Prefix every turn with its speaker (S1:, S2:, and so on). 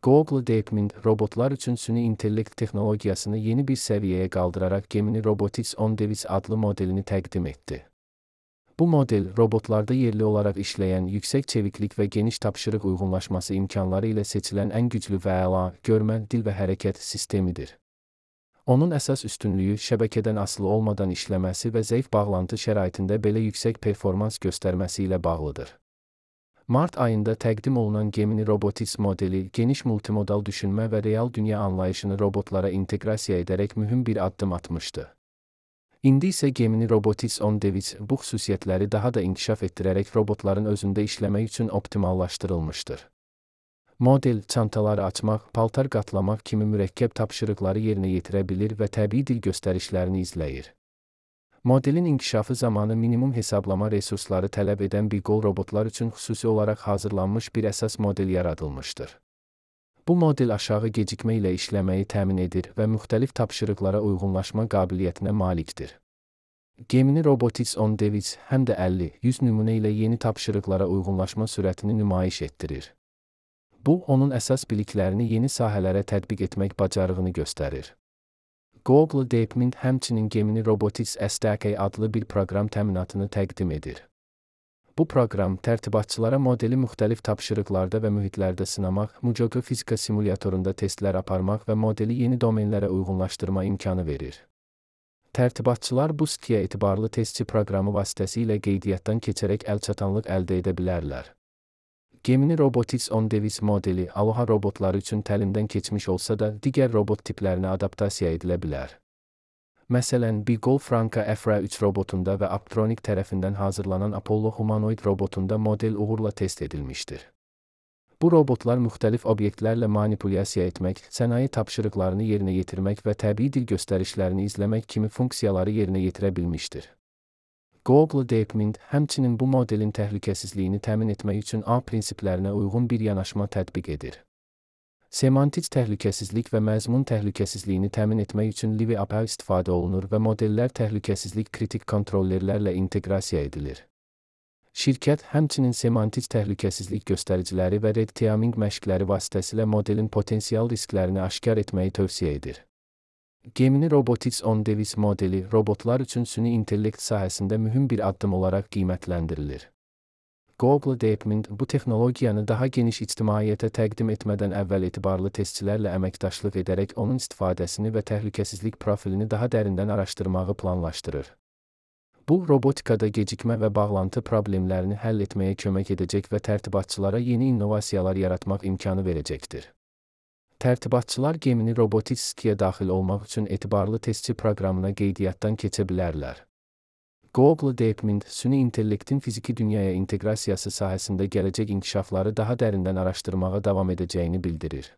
S1: Google DeepMind, robotlar üçün süni intellekt texnologiyasını yeni bir səviyyəyə qaldıraraq Gemini Robotics On Device adlı modelini təqdim etdi. Bu model, robotlarda yerli olaraq işləyən yüksək çeviklik və geniş tapşırıq uyğunlaşması imkanları ilə seçilən ən güclü və əla, görmə, dil və hərəkət sistemidir. Onun əsas üstünlüyü şəbəkədən asılı olmadan işləməsi və zəif bağlantı şəraitində belə yüksək performans göstərməsi ilə bağlıdır. Mart ayında təqdim olunan Gemini Robotics modeli, geniş multimodal düşünmə və real dünya anlayışını robotlara inteqrasiya edərək mühüm bir addım atmışdı. İndi isə Gemini Robotics On Device bu xüsusiyyətləri daha da inkişaf etdirərək robotların özündə işləmək üçün optimallaşdırılmışdır. Model, çantaları açmaq, paltar qatlamaq kimi mürəkkəb tapşırıqları yerinə yetirə bilir və təbii dil göstərişlərini izləyir. Modelin inkişafı zamanı minimum hesablama resursları tələb edən BigGo robotlar üçün xüsusi olaraq hazırlanmış bir əsas model yaradılmışdır. Bu model aşağı gecikmə ilə işləməyi təmin edir və müxtəlif tapşırıqlara uyğunlaşma qabiliyyətinə malikdir. Gemini Robotics On Device həm də 50-100 nümunə ilə yeni tapşırıqlara uyğunlaşma sürətini nümayiş etdirir. Bu, onun əsas biliklərini yeni sahələrə tətbiq etmək bacarığını göstərir. Google DeepMind həmçinin Gemini Robotics SDK adlı bir proqram təminatını təqdim edir. Bu proqram, tərtibatçılara modeli müxtəlif tapşırıqlarda və mühitlərdə sınamaq, Mujogo fizika simulyatorunda testlər aparmaq və modeli yeni domenlərə uyğunlaşdırma imkanı verir. Tərtibatçılar bu sitəyə etibarlı testçi proqramı vasitəsilə qeydiyyatdan keçərək əlçatanlıq əldə edə bilərlər. Gemini Robotics On Device modeli, Aloha robotları üçün təlimdən keçmiş olsa da, digər robot tiplərinə adaptasiya edilə bilər. Məsələn, BigGo Franka Efra 3 robotunda və Apptronik tərəfindən hazırlanan Apollo humanoid robotunda model uğurla test edilmişdir. Bu robotlar müxtəlif obyektlərlə manipulyasiya etmək, sənaye tapşırıqlarını yerinə yetirmək və təbii dil göstərişlərini izləmək kimi funksiyaları yerinə yetirə bilmişdir. Google DeepMind həmçinin bu modelin təhlükəsizliyini təmin etmək üçün A prinsiplərinə uyğun bir yanaşma tətbiq edir. Semantik təhlükəsizlik və məzmun təhlükəsizliyini təmin etmək üçün Livi API istifadə olunur və modellər təhlükəsizlik kritik kontrollerlərlə inteqrasiya edilir. Şirkət həmçinin semantik təhlükəsizlik göstəriciləri və red teaming məşqləri vasitəsilə modelin potensial risklərini aşkar etməyi tövsiyə edir. Gemini Robotics On Device modeli, robotlar üçün süni intellekt sahəsində mühüm bir addım olaraq qiymətləndirilir. Google DeepMind bu texnologiyanı daha geniş ictimaiyyətə təqdim etmədən əvvəl etibarlı testçilərlə əməkdaşlıq edərək onun istifadəsini və təhlükəsizlik profilini daha dərindən araşdırmağı planlaşdırır. Bu, robotikada gecikmə və bağlantı problemlərini həll etməyə kömək edəcək və tərtibatçılara yeni innovasiyalar yaratmaq imkanı verəcəkdir. Tərtibatçılar Gemini Robotics sitəyə daxil olmaq üçün etibarlı testçi proqramına qeydiyyatdan keçə bilərlər. Google DeepMind, süni intellektin fiziki dünyaya inteqrasiyası sahəsində gələcək inkişafları daha dərindən araşdırmağa davam edəcəyini bildirir.